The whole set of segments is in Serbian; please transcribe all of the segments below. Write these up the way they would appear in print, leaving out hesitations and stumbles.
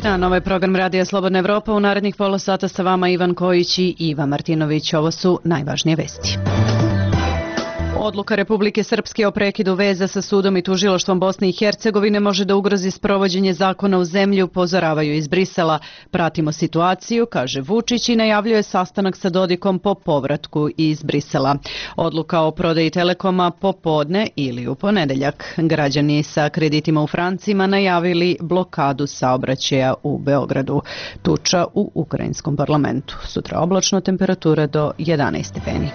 A na ovaj program Radija Slobodna Evropa u narednih pola sata sa vama Ivan Kojić i Iva Martinović. Ovo su najvažnije vesti. Odluka Republike Srpske o prekidu veza sa sudom i tužilaštvom Bosne i Hercegovine može da ugrozi sprovođenje zakona u zemlji, upozoravaju iz Brisela. Pratimo situaciju, kaže Vučić i najavljuje sastanak sa Dodikom po povratku iz Brisela. Odluka o prodaji Telekoma popodne ili u ponedeljak. Građani sa kreditima u francima najavili blokadu saobraćaja u Beogradu. Tuča u ukrajinskom parlamentu. Sutra oblačno, temperatura do 11 stepeni.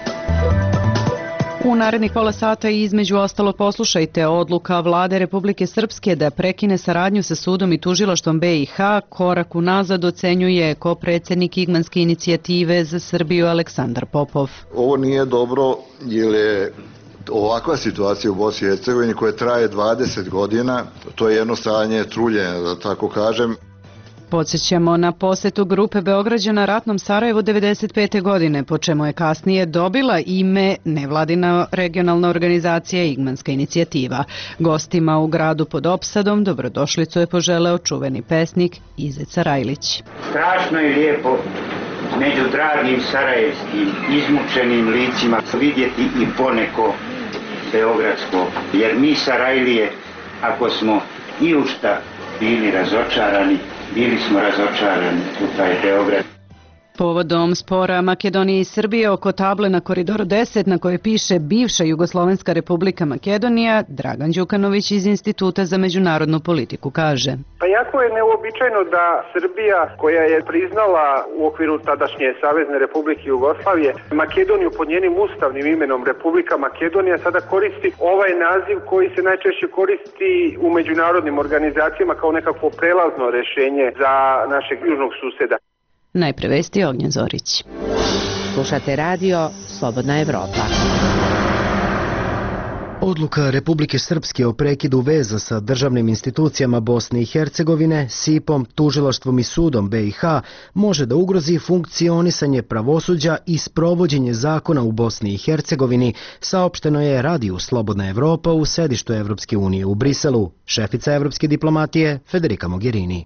U narednih pola sata i između ostalo poslušajte odluka Vlade Republike Srpske da prekine saradnju sa sudom i tužilaštvom BiH. Korak unazad ocenjuje ko-predsjednik Igmanske inicijative za Srbiju Aleksandar Popov. Ovo nije dobro jer je ovakva situacija u Bosni i Hercegovini koja traje 20 godina. To je jedno stanje truljenja, da tako kažem. Podsjećamo na posetu grupe Beograđana ratnom Sarajevu 1995. godine, po čemu je kasnije dobila ime nevladina regionalna organizacija Igmanska inicijativa. Gostima u gradu pod opsadom dobrodošlicu je poželeo čuveni pesnik Izet Sarajlić. Strašno je lijepo među dragim sarajevskim izmučenim licima vidjeti i poneko beogradsko, jer mi Sarajlije, ako smo i u šta bili razočarani, bili smo razočarani u taj Beograd. Povodom spora Makedonije i Srbije oko table na Koridoru 10 na kojoj piše bivša Jugoslovenska republika Makedonija, Dragan Đukanović iz Instituta za međunarodnu politiku kaže. Pa jako je neuobičajeno da Srbija, koja je priznala u okviru tadašnje Savezne republike Jugoslavije Makedoniju pod njenim ustavnim imenom Republika Makedonija, sada koristi ovaj naziv koji se najčešće koristi u međunarodnim organizacijama kao nekakvo prelazno rješenje za našeg južnog suseda. Najpre vesti Ognjen Zorić. Slušate radio Slobodna Evropa. Odluka Republike Srpske o prekidu veza sa državnim institucijama Bosne i Hercegovine, SIP-om, tužilaštvom i sudom BiH može da ugrozi funkcionisanje pravosuđa i sprovođenje zakona u Bosni i Hercegovini, saopšteno je radiju Slobodna Evropa u sedištu Evropske unije u Briselu. Šefica evropske diplomatije Federica Mogherini.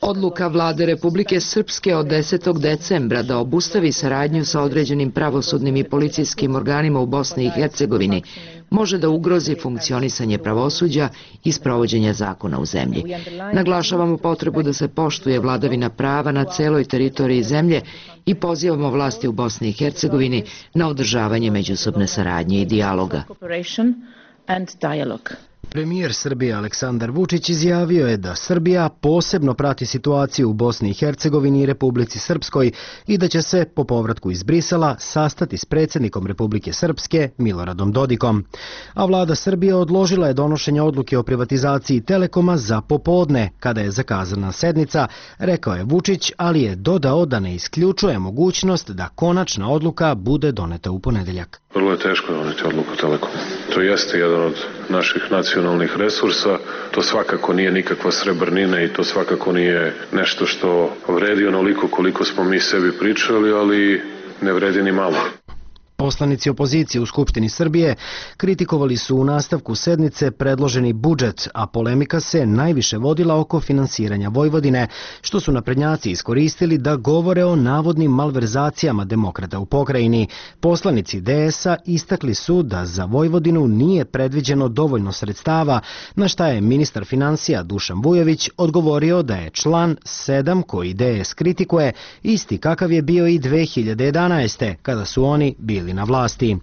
Odluka Vlade Republike Srpske od 10. decembra da obustavi saradnju sa određenim pravosudnim i policijskim organima u Bosni i Hercegovini može da ugrozi funkcionisanje pravosuđa i sprovođenje zakona u zemlji. Naglašavamo potrebu da se poštuje vladavina prava na celoj teritoriji zemlje i pozivamo vlasti u Bosni i Hercegovini na održavanje međusobne saradnje i dijaloga. Premijer Srbije Aleksandar Vučić izjavio je da Srbija posebno prati situaciju u Bosni i Hercegovini i Republici Srpskoj i da će se po povratku iz Brisela sastati s predsjednikom Republike Srpske Miloradom Dodikom. A vlada Srbije odložila je donošenje odluke o privatizaciji Telekoma za popodne, kada je zakazana sednica, rekao je Vučić, ali je dodao da ne isključuje mogućnost da konačna odluka bude doneta u ponedeljak. Vrlo je teško doneti odluku Telekomu. To jeste jedan od naših nacionalnih resursa, to svakako nije nikakva srebrnina i to svakako nije nešto što vredi onoliko koliko smo mi sebi pričali, ali ne vredi ni malo. Poslanici opozicije u Skupštini Srbije kritikovali su u nastavku sednice predloženi budžet, a polemika se najviše vodila oko finansiranja Vojvodine, što su naprednjaci iskoristili da govore o navodnim malverzacijama demokrata u pokrajini. Poslanici DS-a istakli su da za Vojvodinu nije predviđeno dovoljno sredstava, na šta je ministar finansija Dušan Vujović odgovorio da je član 7 koji DS kritikuje isti kakav je bio i 2011. kada su oni bili na vlasti.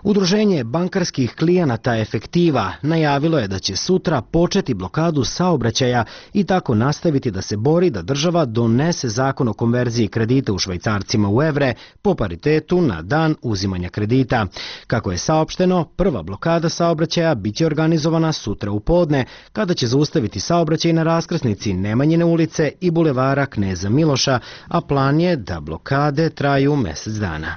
Udruženje bankarskih klijenata Efektiva najavilo je da će sutra početi blokadu saobraćaja i tako nastaviti da se bori da država donese zakon o konverziji kredita u švajcarcima u evre po paritetu na dan uzimanja kredita. Kako je saopšteno, prva blokada saobraćaja biće organizovana sutra u podne, kada će zaustaviti saobraćaj na raskrsnici Nemanjine ulice i bulevara Kneza Miloša, a plan je da blokade traju mjesec dana.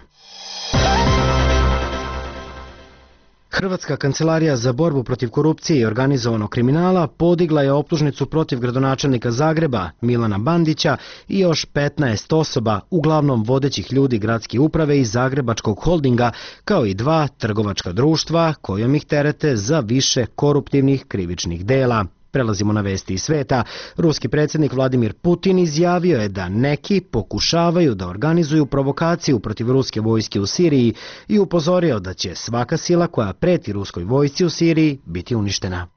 Hrvatska kancelarija za borbu protiv korupcije i organizovanog kriminala podigla je optužnicu protiv gradonačelnika Zagreba Milana Bandića i još 15 osoba, uglavnom vodećih ljudi gradske uprave i Zagrebačkog holdinga, kao i 2 trgovačka društva kojom ih terete za više koruptivnih krivičnih dela. Prelazimo na vesti iz sveta. Ruski predsjednik Vladimir Putin izjavio je da neki pokušavaju da organizuju provokaciju protiv ruske vojske u Siriji i upozorio da će svaka sila koja preti ruskoj vojsci u Siriji biti uništena.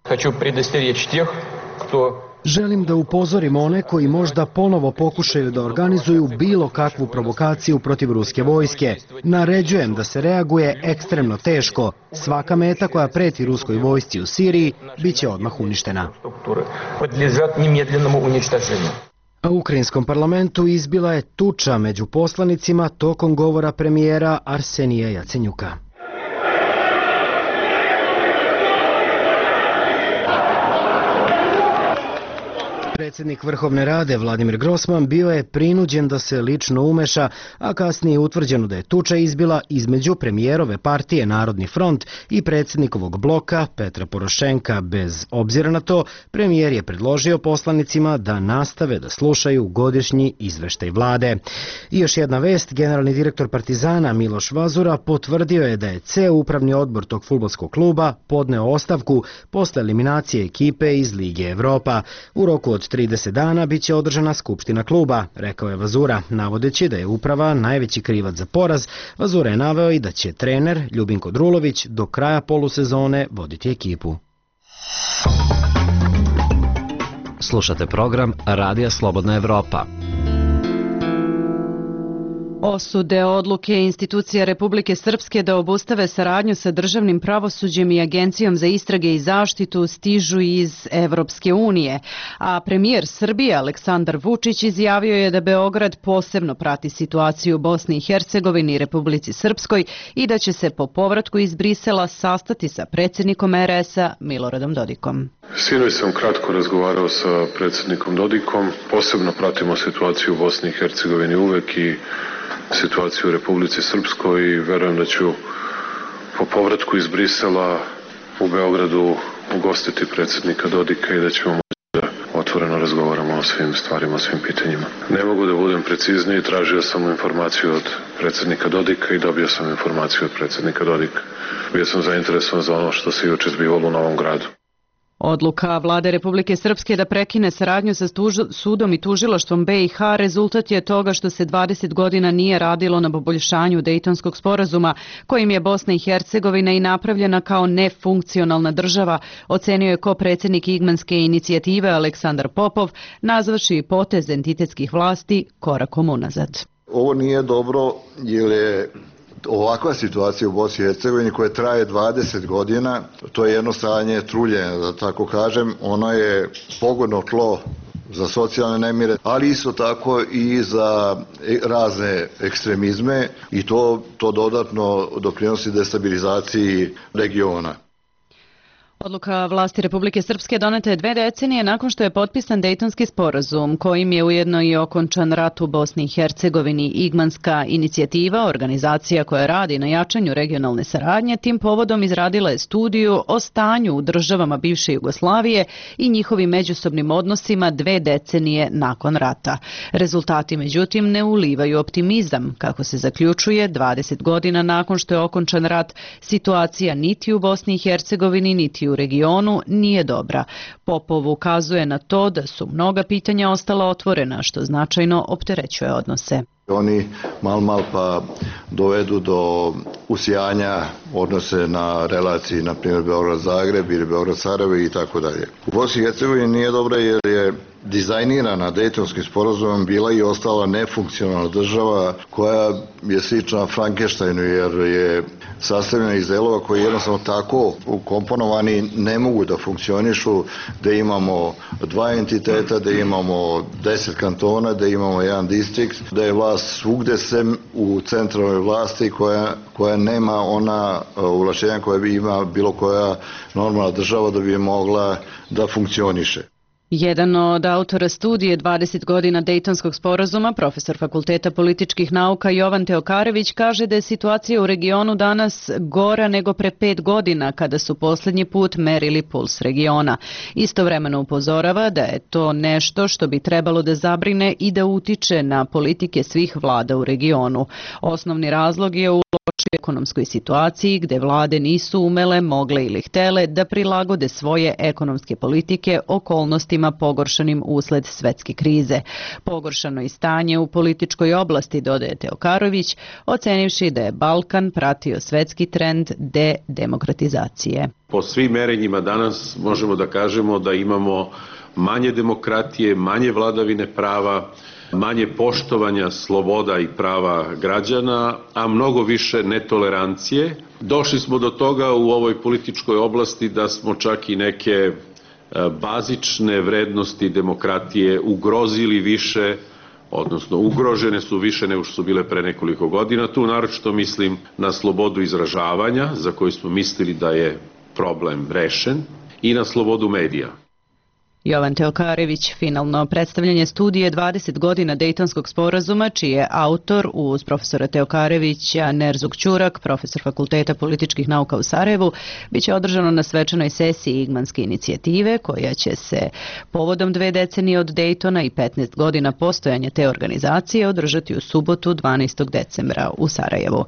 Želim da upozorim one koji možda ponovo pokušaju da organizuju bilo kakvu provokaciju protiv ruske vojske. Naređujem da se reaguje ekstremno teško. Svaka meta koja preti ruskoj vojsci u Siriji bit će odmah uništena. A u ukrajinskom parlamentu izbila je tuča među poslanicima tokom govora premijera Arsenija Jacenjuka. Predsjednik Vrhovne Rade Vladimir Grossman bio je prinuđen da se lično umeša, a kasnije je utvrđeno da je tuča izbila između premijerove partije Narodni front i predsjednikovog bloka Petra Porošenka. Bez obzira na to, premijer je predložio poslanicima da nastave da slušaju godišnji izveštaj vlade. I još jedna vest, generalni direktor Partizana Miloš Vazura potvrdio je da je ceo upravni odbor tog fudbalskog kluba podneo ostavku posle eliminacije ekipe iz Lige Evropa. U roku od 30 dana biće održana skupština kluba, rekao je Vazura, navodeći da je uprava najveći krivac za poraz. Vazura je naveo i da će trener Ljubinko Drulović do kraja polusezone voditi ekipu. Slušate program Radija Slobodna Evropa. Osude odluke institucija Republike Srpske da obustave saradnju sa državnim pravosuđem i Agencijom za istrage i zaštitu stižu iz Evropske unije, a premijer Srbije Aleksandar Vučić izjavio je da Beograd posebno prati situaciju u Bosni i Hercegovini i Republici Srpskoj i da će se po povratku iz Brisela sastati sa predsjednikom RS-a Miloradom Dodikom. Sinoć sam kratko razgovarao sa predsjednikom Dodikom, posebno pratimo situaciju u Bosni i Hercegovini uvek i situaciju u Republici Srpskoj i verujem da ću po povratku iz Brisela u Beogradu ugostiti predsjednika Dodika i da ćemo moći da otvoreno razgovaramo o svim stvarima, o svim pitanjima. Ne mogu da budem precizniji, tražio sam informaciju od predsjednika Dodika i dobio sam informaciju od predsjednika Dodika. Bio sam zainteresovan za ono što se juče zbivalo u Novom Gradu. Odluka Vlade Republike Srpske da prekine saradnju sa sudom i tužilaštvom BiH rezultat je toga što se 20 godina nije radilo na poboljšanju Dejtonskog sporazuma, kojim je Bosna i Hercegovina i napravljena kao nefunkcionalna država, ocenio je ko-predsjednik Igmanske inicijative Aleksandar Popov, nazvaši potez entitetskih vlasti korakom unazad. Ovo nije dobro jer je ovakva situacija u Bosni i Hercegovini koja traje 20 godina, to je jedno stanje truljenja, da tako kažem, ono je pogodno tlo za socijalne nemire, ali isto tako i za razne ekstremizme i to dodatno doprinosi destabilizaciji regiona. Odluka vlasti Republike Srpske doneta je 2 decenije nakon što je potpisan Dejtonski sporazum, kojim je ujedno i okončan rat u Bosni i Hercegovini. Igmanska inicijativa, organizacija koja radi na jačanju regionalne saradnje, tim povodom izradila je studiju o stanju u državama bivše Jugoslavije i njihovim međusobnim odnosima 2 decenije nakon rata. Rezultati, međutim, ne ulivaju optimizam. Kako se zaključuje, 20 godina nakon što je okončan rat, situacija niti u Bosni i Hercegovini, niti u regionu nije dobra. Popov ukazuje na to da su mnoga pitanja ostala otvorena, što značajno opterećuje odnose. Oni mal pa dovedu do usijanja odnose na relaciji, na primjer Beograd-Zagreb ili Beograd-Sarajevo i tako dalje. U Bosni i Hercegovini nije dobra jer je dizajnirana Dejtonskim sporazumom bila i ostala nefunkcionalna država koja je slična Frankensteinu jer je sastavljena iz delova koji jednostavno tako ukomponovani ne mogu da funkcionišu, da imamo 2 entiteta, da imamo 10 kantona, da imamo 1 distrikt, da je vlast svugde sem u centralnoj vlasti koja nema ona ovlašćenja koja bi ima bilo koja normalna država da bi mogla da funkcioniše. Jedan od autora studije 20 godina Dejtonskog sporazuma, profesor Fakulteta političkih nauka Jovan Teokarević, kaže da je situacija u regionu danas gora nego pre 5 godina kada su posljednji put merili puls regiona. Istovremeno upozorava da je to nešto što bi trebalo da zabrine i da utiče na politike svih vlada u regionu. Osnovni razlog je u lošem u ekonomskoj situaciji gde vlade nisu umele, mogle ili htele da prilagode svoje ekonomske politike okolnostima pogoršanim usled svetske krize. Pogoršano i stanje u političkoj oblasti, dodaje Teokarović, ocenivši da je Balkan pratio svetski trend dedemokratizacije. Po svim merenjima danas možemo da kažemo da imamo manje demokratije, manje vladavine prava, manje poštovanja sloboda i prava građana, a mnogo više netolerancije. Došli smo do toga u ovoj političkoj oblasti da smo čak i neke bazične vrednosti demokratije ugrozili više, odnosno ugrožene su više nego što su bile pre nekoliko godina. Tu naročito mislim na slobodu izražavanja, za koju smo mislili da je problem rešen, i na slobodu medija. Jovan Teokarević, finalno predstavljanje studije 20 godina Dejtonskog sporazuma, čiji je autor uz profesora Teokarevića Nerzuk Ćurak, profesor Fakulteta političkih nauka u Sarajevu, biće održano na svečanoj sesiji Igmanske inicijative, koja će se povodom 2 decenije od Dejtona i 15 godina postojanja te organizacije održati u subotu 12. decembra u Sarajevu.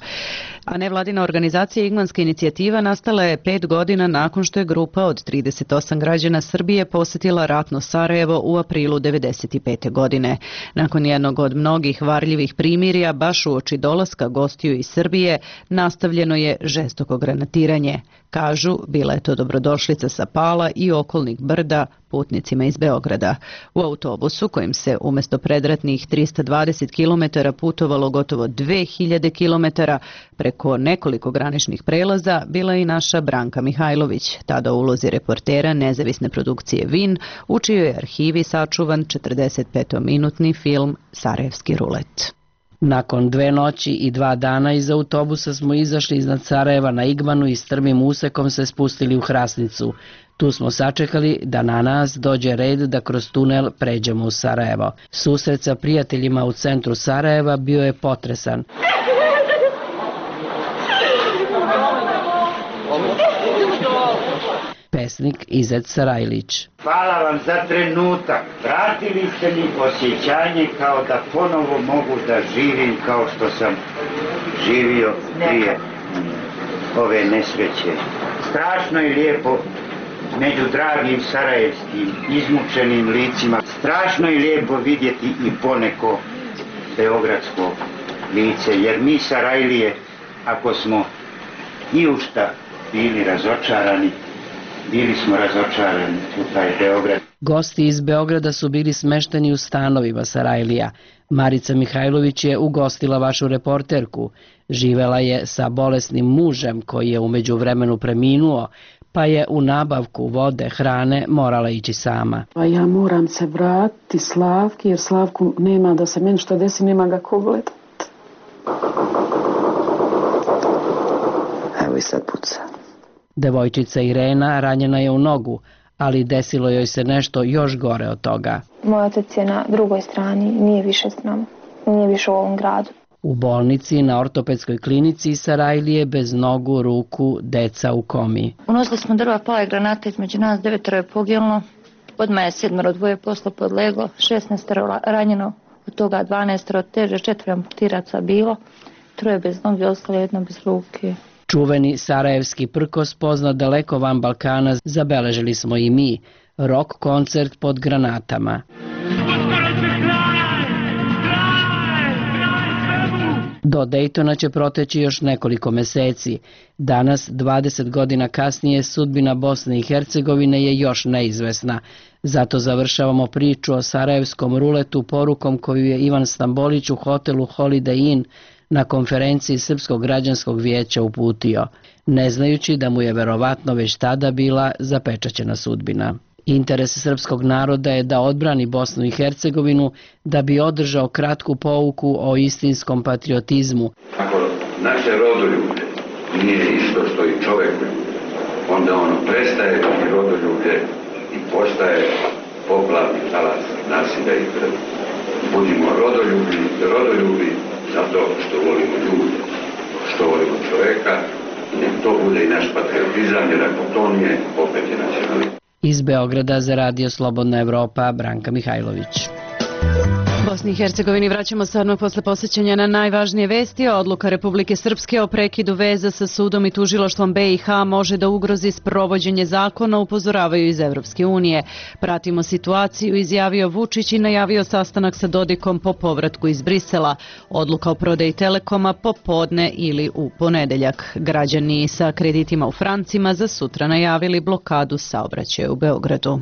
A nevladina organizacija Igmanska inicijativa nastala je 5 godina nakon što je grupa od 38 građana Srbije posetila ratno Sarajevo u aprilu 1995. godine. Nakon jednog od mnogih varljivih primirja, baš uoči dolaska gostiju iz Srbije, nastavljeno je žestoko granatiranje. Kažu, bila je to dobrodošlica sa Pala i okolnih brda putnicima iz Beograda. U autobusu, kojim se umjesto predratnih 320 km putovalo gotovo 2000 km preko nekoliko graničnih prelaza, bila je i naša Branka Mihajlović, tada u ulozi reportera nezavisne produkcije VIN, u čijoj je arhivi sačuvan 45-minutni film Sarajevski rulet. Nakon 2 noći i 2 dana iz autobusa smo izašli iznad Sarajeva na Igmanu i strmim usekom se spustili u Hrasnicu. Tu smo sačekali da na nas dođe red da kroz tunel pređemo u Sarajevo. Susret sa prijateljima u centru Sarajeva bio je potresan. Pesnik Izet Sarajlić. Hvala vam za trenutak. Vratili ste mi osjećanje kao da ponovo mogu da živim kao što sam živio prije ove nesreće. Strašno je lijepo među dragim sarajevskim izmučenim licima. Strašno je lijepo vidjeti i poneko beogradsko lice, jer mi Sarajlije, ako smo i u šta bili razočarani, bili smo razočarani u taj Beograd. Gosti iz Beograda su bili smešteni u stanovima Sarajlija. Marica Mihajlović je ugostila vašu reporterku. Živela je sa bolesnim mužem koji je u međuvremenu preminuo, pa je u nabavku vode, hrane morala ići sama. Ja moram se vratiti Slavki, jer Slavku nema, da se meni što desi, nema ga ko gledat. Evo i sad puca. Devojčica Irena ranjena je u nogu, ali desilo joj se nešto još gore od toga. Moj otac je na drugoj strani, nije više s nama, nije više u ovom gradu. U bolnici na ortopedskoj klinici Sarajlije bez nogu, ruku, deca u komi. Unosili smo drva, pala je granata, između nas 9 je poginulo, odmah je 7 2 posla podleglo, 16 ranjeno, od toga 12 teže, 4 amputiraca bilo, 3 bez noge, ostalo 1 bez ruke. Čuveni sarajevski prkos poznat daleko van Balkana zabeležili smo i mi, rock koncert pod granatama. Do Dejtona će proteći još nekoliko meseci. Danas, 20 godina kasnije, sudbina Bosne i Hercegovine je još neizvesna. Zato završavamo priču o sarajevskom ruletu porukom koju je Ivan Stambolić u hotelu Holiday Inn na konferenciji Srpskog građanskog vijeća uputio, ne znajući da mu je verovatno već tada bila zapečaćena sudbina. Interes srpskog naroda je da odbrani Bosnu i Hercegovinu, da bi održao kratku pouku o istinskom patriotizmu. Ako naše rodoljublje nije isto što i čovek, onda ono prestaje biti rodoljublje i postaje poplavni talas nasilja i krvi. Budimo rodoljubi zato što volimo ljude, što volimo čoveka, i nek to bude i naš patriotizam, jer ako to nije, opet je nacionalizam. Iz Beograda za Radio Slobodna Evropa, Branka Mihajlović. Bosni i Hercegovini vraćamo se odmah posle posjećanja na najvažnije vesti. Odluka Republike Srpske o prekidu veza sa sudom i tužilaštvom BiH može da ugrozi sprovođenje zakona, upozoravaju iz Evropske unije. Pratimo situaciju, izjavio Vučić i najavio sastanak sa Dodikom po povratku iz Brisela. Odluka o prodaji Telekoma popodne ili u ponedeljak. Građani sa kreditima u francima za sutra najavili blokadu saobraćaja u Beogradu.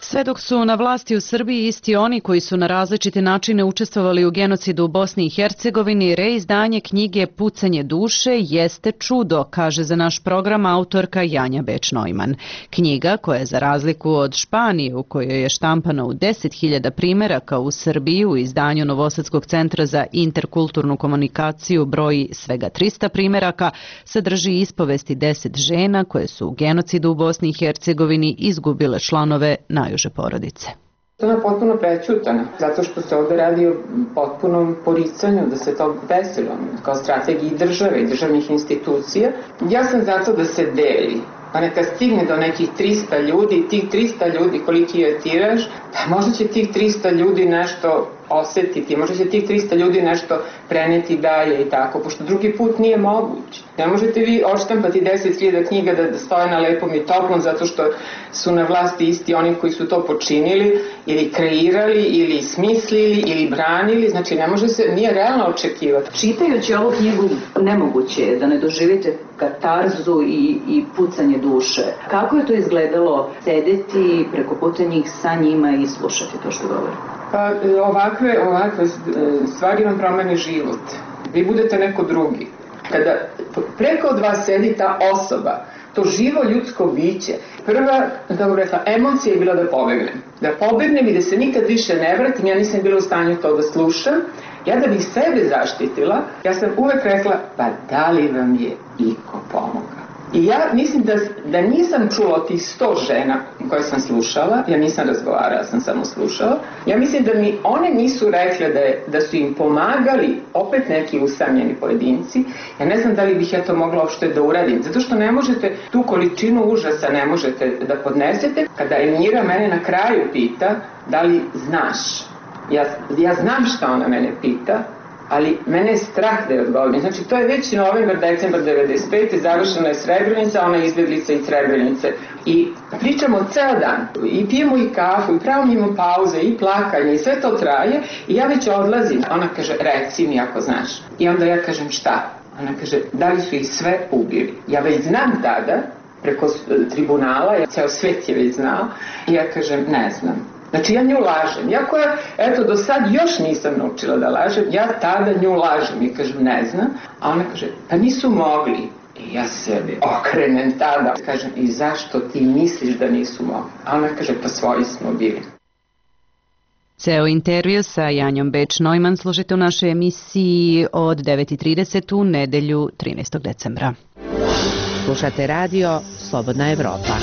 Sve dok su na vlasti u Srbiji isti oni koji su na različite načine učestvovali u genocidu u Bosni i Hercegovini, reizdanje knjige Pucanje duše jeste čudo, kaže za naš program autorka Janja Beč-Neumann. Knjiga, koja je za razliku od Španije, u kojoj je štampana u 10.000 primeraka, u Srbiji u izdanju Novosadskog centra za interkulturnu komunikaciju broji svega 300 primeraka, sadrži ispovesti 10 žena koje su u genocidu u Bosni i Hercegovini izgubile članove najuže porodice. To je potpuno prećutano, zato što se ovde radi o potpunom poricanju da se to desilo, kao strategiji države i državnih institucija. Ja sam zato da se deli, pa neka stigne do nekih 300 ljudi, tih 300 ljudi koliki je tiraž, pa možda će tih 300 ljudi nešto osetiti, možda će tih 300 ljudi nešto preneti dalje i tako, pošto drugi put nije moguće. Ne možete vi odštampati 10.000 knjiga da stoje na lepom i toplom zato što su na vlasti isti oni koji su to počinili ili kreirali ili smislili ili branili, znači ne može se, nije realno očekivati. Čitajući ovu knjigu nemoguće je da ne doživite katarzu i pucanje duše. Kako je to izgledalo sedeti preko puta njih sa njima i slušati to što govori? Pa ovakve stvari vam promeni život. Vi budete neko drugi. Kada preko od vas sedi ta osoba, to živo ljudsko biće, prva, kako rekla, emocija je bila da pobegnem. Da pobegnem i da se nikad više ne vratim, ja nisam bila u stanju to da slušam. Ja da bih sebe zaštitila, ja sam uvek rekla, pa da li vam je iko pomogao? I ja mislim da nisam čula od tih 100 žena koje sam slušala, ja nisam razgovarala, sam samo slušala, ja mislim da mi one nisu rekle da su im pomagali opet neki usamljeni pojedinci, ja ne znam da li bih ja to mogla uopšte da uradim, zato što ne možete, tu količinu užasa ne možete da podnesete. Kada Emira mene na kraju pita, da li znaš, ja znam šta ona mene pita, ali mene je strah da je odgovorim. Znači, to je već novembar, decembar 95. Završena je Srebrenica, ona je izbjeglica iz Srebrenice. I pričamo ceo dan, i pijemo i kafu, i pravimo pauze, i plakanje, i sve to traje. I ja već odlazim. Ona kaže, reci mi ako znaš. I onda ja kažem, šta? Ona kaže, da li su ih sve ubili? Ja već znam tada, preko tribunala, ceo svet je već znao, i ja kažem, ne znam. Znači ja nju lažem, iako ja, eto, do sad još nisam naučila da lažem, ja tada nju lažem i kažem ne znam, a ona kaže, pa nisu mogli. I ja sebi okrenem tada, kažem, i zašto ti misliš da nisu mogli? A ona kaže, pa svoji smo bili. Ceo intervju sa Janjom Beč-Neumann slušajte u našoj emisiji od 9.30 u nedelju 13. decembra. Slušate radio Slobodna Evropa.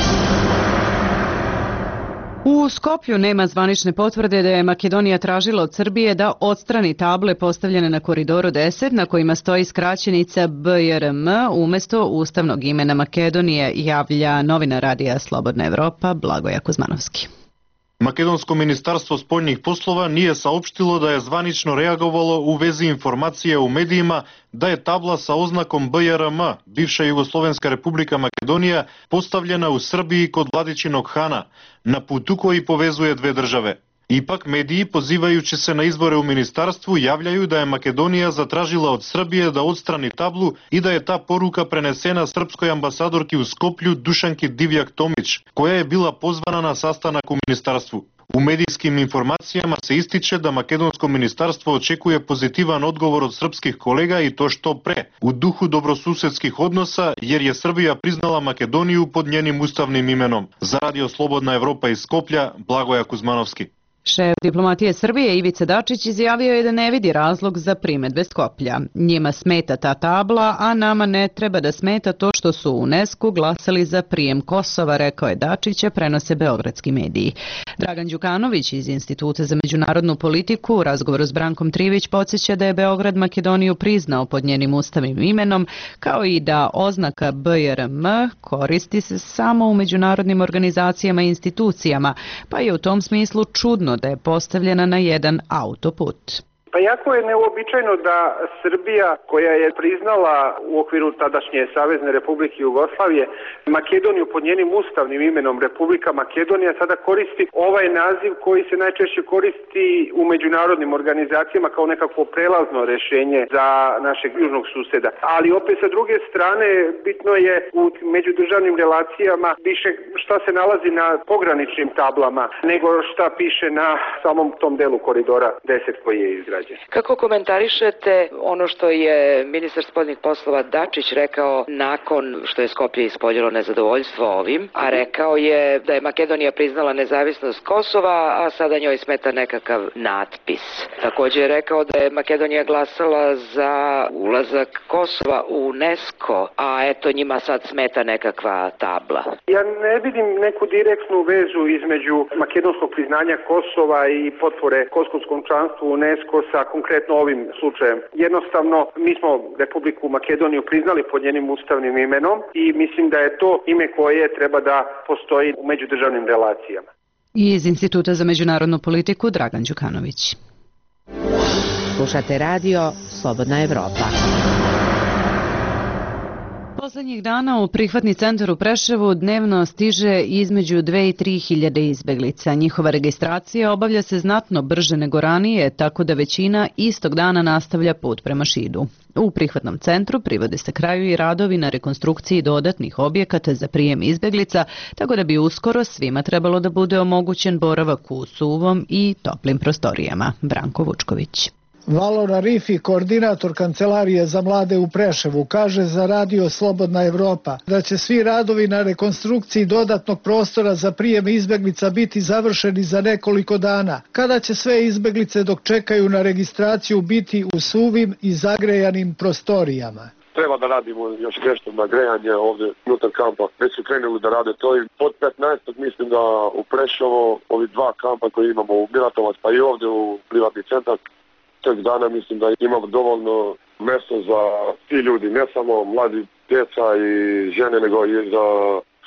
U Skoplju nema zvanične potvrde da je Makedonija tražila od Srbije da odstrani table postavljene na Koridoru 10 na kojima stoji skraćenica BRM umesto ustavnog imena Makedonije, javlja novinar radija Slobodna Evropa Blagoja Kuzmanovski. Македонско министарство спољних послова nije saopštilo da je zvanično reagovalo u vezi informacije u medijima da je tabla sa oznakom BRM, bivša Jugoslovenska republika Makedonija, postavljena u Srbiji kod Vladičinog Hana, na putu koji povezuje dve države. Ipak mediji, pozivajući se na izbore u ministarstvu, javljaju da je Makedonija zatražila od Srbije da odstrani tablu i da je ta poruka prenesena srpskoj ambasadorki u Skoplju Dušanki Divjak-Tomić, koja je bila pozvana na sastanak u ministarstvu. U medijskim informacijama se ističe da makedonsko ministarstvo očekuje pozitivan odgovor od srpskih kolega i to što pre, u duhu dobrosusedskih odnosa, jer je Srbija priznala Makedoniju pod njenim ustavnim imenom. Za radio Slobodna Evropa iz Skoplja, Blagoja Kuzmanovski. Šef diplomatije Srbije Ivica Dačić izjavio je da ne vidi razlog za primedbe Skoplja. Njima smeta ta tabla, a nama ne treba da smeta to što su u UNESCO glasali za prijem Kosova, rekao je Dačić, prenose beogradski mediji. Dragan Đukanović iz Instituta za međunarodnu politiku u razgovoru s Brankom Trivić podsjeća da je Beograd Makedoniju priznao pod njenim ustavnim imenom, kao i da oznaka BRM koristi se samo u međunarodnim organizacijama i institucijama, pa je u tom smislu čudno da je postavljena na jedan autoput. Pa jako je neuobičajeno da Srbija, koja je priznala u okviru tadašnje Savezne Republike Jugoslavije Makedoniju pod njenim ustavnim imenom Republika Makedonija, sada koristi ovaj naziv koji se najčešće koristi u međunarodnim organizacijama kao nekakvo prelazno rešenje za našeg južnog suseda. Ali opet sa druge strane bitno je u međudržavnim relacijama više šta se nalazi na pograničnim tablama nego šta piše na samom tom delu koridora 10 koji je izgrađen. Kako komentarišete ono što je ministar spoljnih poslova Dačić rekao nakon što je Skoplje ispoljilo nezadovoljstvo ovim, a rekao je da je Makedonija priznala nezavisnost Kosova, a sada njoj smeta nekakav natpis. Također je rekao da je Makedonija glasala za ulazak Kosova u UNESCO, a eto njima sad smeta nekakva tabla. Ja ne vidim neku direktnu vezu između makedonskog priznanja Kosova i potpore kosovskom članstvu UNESCO sa konkretno ovim slučajem. Jednostavno, mi smo Republiku Makedoniju priznali pod njenim ustavnim imenom i mislim da je to ime koje treba da postoji u međudržavnim relacijama. Iz Instituta za međunarodnu politiku Dragan Đukanović. Slušate radio Slobodna Evropa. Poslednjih dana u prihvatni centar u Preševu dnevno stiže između 2 i 3 hiljade izbeglica. Njihova registracija obavlja se znatno brže nego ranije, tako da većina istog dana nastavlja put prema Šidu. U prihvatnom centru privode se kraju i radovi na rekonstrukciji dodatnih objekata za prijem izbeglica, tako da bi uskoro svima trebalo da bude omogućen boravak u suvom i toplim prostorijama. Branko Vučković. Valora Rifi, koordinator Kancelarije za mlade u Preševu, kaže za radio Slobodna Evropa da će svi radovi na rekonstrukciji dodatnog prostora za prijem izbeglica biti završeni za nekoliko dana, kada će sve izbeglice dok čekaju na registraciju biti u suvim i zagrejanim prostorijama. Treba da radimo još nešto na grejanje ovdje unutar kampa. Već su krenuli da rade to i pod 15. mislim da u Preševo ovi dva kampa koje imamo u Miratovac pa i ovdje u privatni centar, tek dana mislim da imamo dovoljno mjesto za ti ljudi, ne samo mladi djeca i žene, nego i za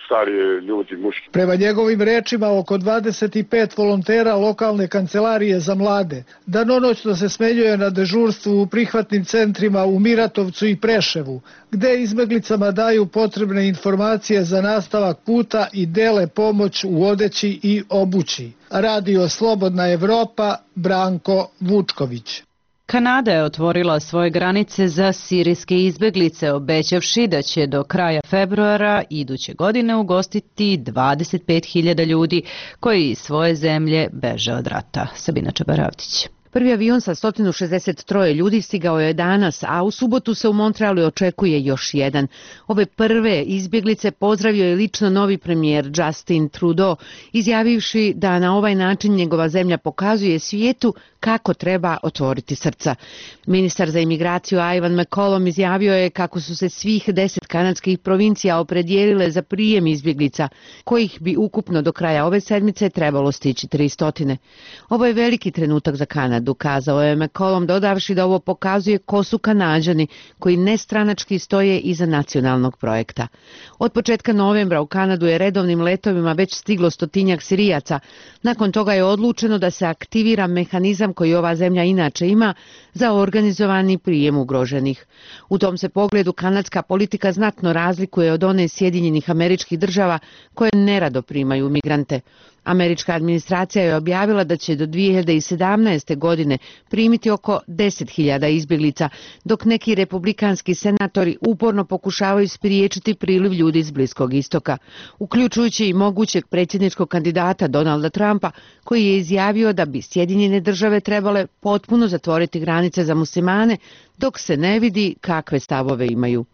starije ljudi, muški. Prema njegovim rečima, oko 25 volontera lokalne kancelarije za mlade danonoćno se smenjuje na dežurstvu u prihvatnim centrima u Miratovcu i Preševu, gde izbeglicama daju potrebne informacije za nastavak puta i dele pomoć u odeći i obući. Radio Slobodna Evropa, Branko Vučković. Kanada je otvorila svoje granice za sirijske izbeglice, obećavši da će do kraja februara iduće godine ugostiti 25.000 ljudi koji iz svoje zemlje beže od rata. Sabina Čabaravdić. Prvi avion sa 163 ljudi stigao je danas, a u subotu se u Montrealu očekuje još jedan. Ove prve izbjeglice pozdravio je lično novi premijer Justin Trudeau, izjavivši da na ovaj način njegova zemlja pokazuje svijetu kako treba otvoriti srca. Ministar za imigraciju Ivan McCollum izjavio je kako su se svih 10 kanadskih provincija opredijelile za prijem izbjeglica, kojih bi ukupno do kraja ove sedmice trebalo stići 300. Ovo je veliki trenutak za Kanadu, kazao je McCollum, dodavši da ovo pokazuje ko su Kanađani koji nestranački stoje iza nacionalnog projekta. Od početka novembra u Kanadu je redovnim letovima već stiglo 100-tinjak Sirijaca. Nakon toga je odlučeno da se aktivira mehanizam koji ova zemlja inače ima za organizovani prijem ugroženih. U tom se pogledu kanadska politika znatno razlikuje od one Sjedinjenih Američkih Država koje nerado primaju migrante. Američka administracija je objavila da će do 2017. godine primiti oko 10.000 izbjeglica, dok neki republikanski senatori uporno pokušavaju spriječiti priliv ljudi iz Bliskog istoka, uključujući i mogućeg predsjedničkog kandidata Donalda Trumpa, koji je izjavio da bi Sjedinjene Države trebale potpuno zatvoriti granice za muslimane, dok se ne vidi kakve stavove imaju.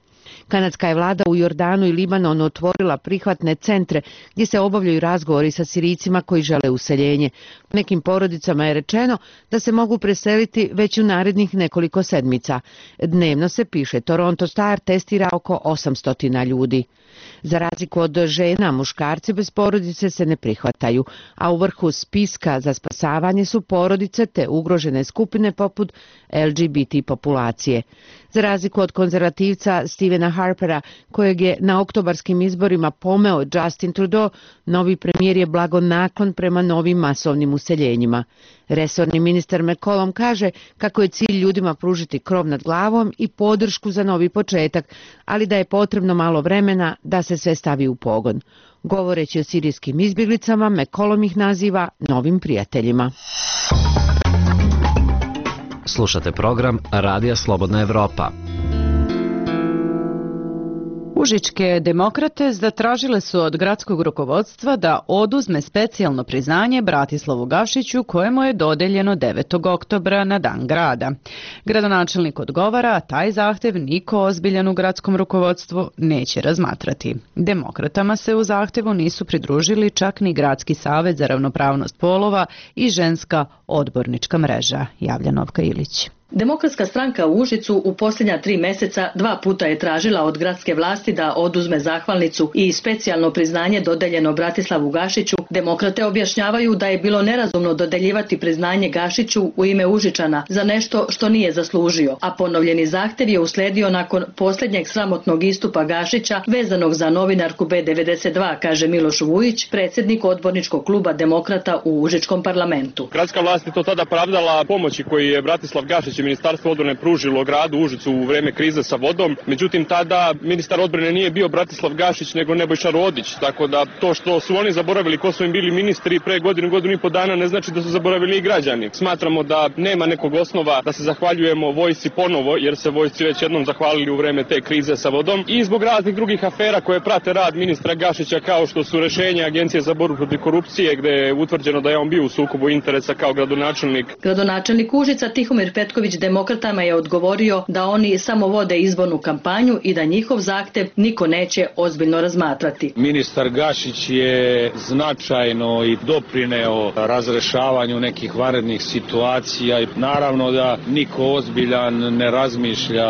Kanadska je vlada u Jordanu i Libanonu otvorila prihvatne centre gdje se obavljaju razgovori sa Sirijcima koji žele useljenje. Nekim porodicama je rečeno da se mogu preseliti već u narednih nekoliko sedmica. Dnevno se, piše Toronto Star, testira oko 800 ljudi. Za razliku od žena, muškarci bez porodice se ne prihvataju, a u vrhu spiska za spasavanje su porodice te ugrožene skupine poput LGBT populacije. Za razliku od konzervativca Stevena Harpera, kojeg je na oktobarskim izborima pomeo Justin Trudeau, novi premijer je blagonaklon prema novim masovnim useljenjima. Resorni ministar McCollum kaže kako je cilj ljudima pružiti krov nad glavom i podršku za novi početak, ali da je potrebno malo vremena da se sve stavi u pogon. Govoreći o sirijskim izbjeglicama, McCollum ih naziva novim prijateljima. Slušate program Radija Slobodna Evropa. Užičke demokrate zatražile su od gradskog rukovodstva da oduzme specijalno priznanje Bratislavu Gašiću kojemu je dodeljeno 9. oktobra na dan grada. Gradonačelnik odgovara, a taj zahtev niko ozbiljan u gradskom rukovodstvu neće razmatrati. Demokratama se u zahtevu nisu pridružili čak ni Gradski savez za ravnopravnost polova i ženska odbornička mreža, javlja Novka Ilić. Demokratska stranka u Užicu u posljednja 3 mjeseca 2 puta je tražila od gradske vlasti da oduzme zahvalnicu i specijalno priznanje dodeljeno Bratislavu Gašiću. Demokrate objašnjavaju da je bilo nerazumno dodeljivati priznanje Gašiću u ime Užičana za nešto što nije zaslužio, a ponovljeni zahtjev je uslijedio nakon posljednjeg sramotnog istupa Gašića vezanog za novinarku B92, kaže Miloš Vujić, predsjednik odborničkog kluba Demokrata u Užičkom parlamentu. Gradska vlast je to tada pravdala pomoći koji je Bratislav Gašić Ministarstvo odbrane pružilo gradu Užicu u vreme krize sa vodom, međutim tada ministar odbrane nije bio Bratislav Gašić nego Nebojša Rodić, tako da to što su oni zaboravili ko su im bili ministri pre godinu i po dana ne znači da su zaboravili i građani. Smatramo da nema nekog osnova da se zahvaljujemo vojsci ponovo, jer se vojsci već jednom zahvalili u vreme te krize sa vodom i zbog raznih drugih afera koje prate rad ministra Gašića, kao što su rešenja Agencije za borbu protiv korupcije gde je utvrđeno da je on bio u sukobu interesa kao gradonačelnik. Gradonačelnik Užica Tihomir Petković demokratama je odgovorio da oni samo vode izbornu kampanju i da njihov zahtev niko neće ozbiljno razmatrati. Ministar Gašić je značajno i doprineo razrešavanju nekih vanrednih situacija i naravno da niko ozbiljan ne razmišlja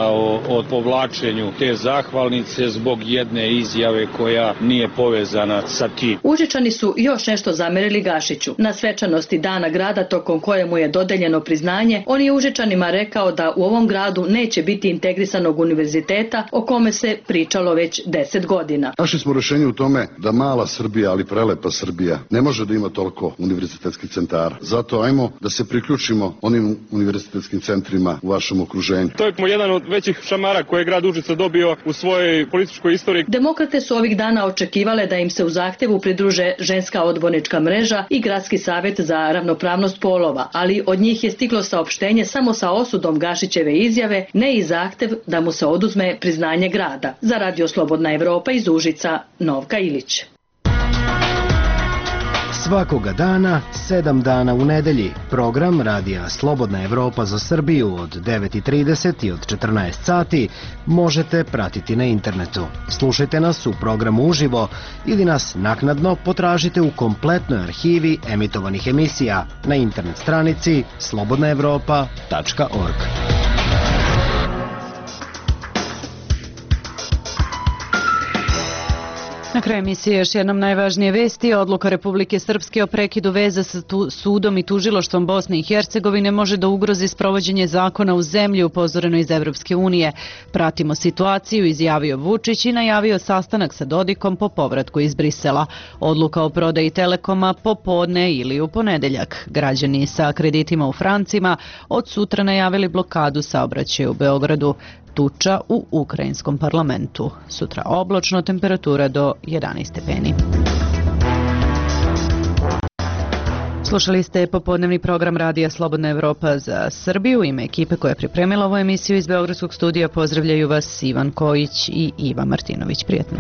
o povlačenju te zahvalnice zbog jedne izjave koja nije povezana sa tim. Užičani su još nešto zamerili Gašiću. Na svečanosti Dana grada tokom kojemu je dodeljeno priznanje, on je Užičanima rekao da u ovom gradu neće biti integrisanog univerziteta o kome se pričalo već 10 godina. Našli smo rješenje u tome da mala Srbija, ali prelepa Srbija, ne može da ima toliko univerzitetskih centara. Zato ajmo da se priključimo onim univerzitetskim centrima u vašem okruženju. To je jedan od većih šamara koje je grad Užice dobio u svojoj političkoj istoriji. Demokrate su ovih dana očekivale da im se u zahtevu pridruže ženska odbornička mreža i Gradski savjet za ravnopravnost polova, ali od njih je stiglo saopštenje samo sa osudom Gašićeve izjave, ne i zahtev da mu se oduzme priznanje grada. Za Radio Slobodna Evropa iz Užica, Novka Ilić. Svakoga dana, 7 dana u nedelji, program Radija Slobodna Evropa za Srbiju od 9:30 i od 14 sati možete pratiti na internetu. Slušajte nas u programu uživo ili nas naknadno potražite u kompletnoj arhivi emitovanih emisija na internet stranici slobodnaevropa.org. Na kraju emisije još jednom najvažnije vesti. Odluka Republike Srpske o prekidu veza sa sudom i tužilaštvom Bosne i Hercegovine može da ugrozi sprovođenje zakona u zemlji, upozoreno iz Evropske unije. Pratimo situaciju, izjavio Vučić i najavio sastanak sa Dodikom po povratku iz Brisela. Odluka o prodaji Telekoma popodne ili u ponedeljak. Građani sa kreditima u francima od sutra najavili blokadu saobraćaja u Beogradu. Tuča u ukrajinskom parlamentu. Sutra oblačno, temperatura do 11 stepeni. Slušali ste popodnevni program Radija Slobodna Evropa za Srbiju. Ime ekipe koja je pripremila ovu emisiju iz Beogradskog studija pozdravljaju vas Ivan Kojić i Iva Martinović. Prijetno.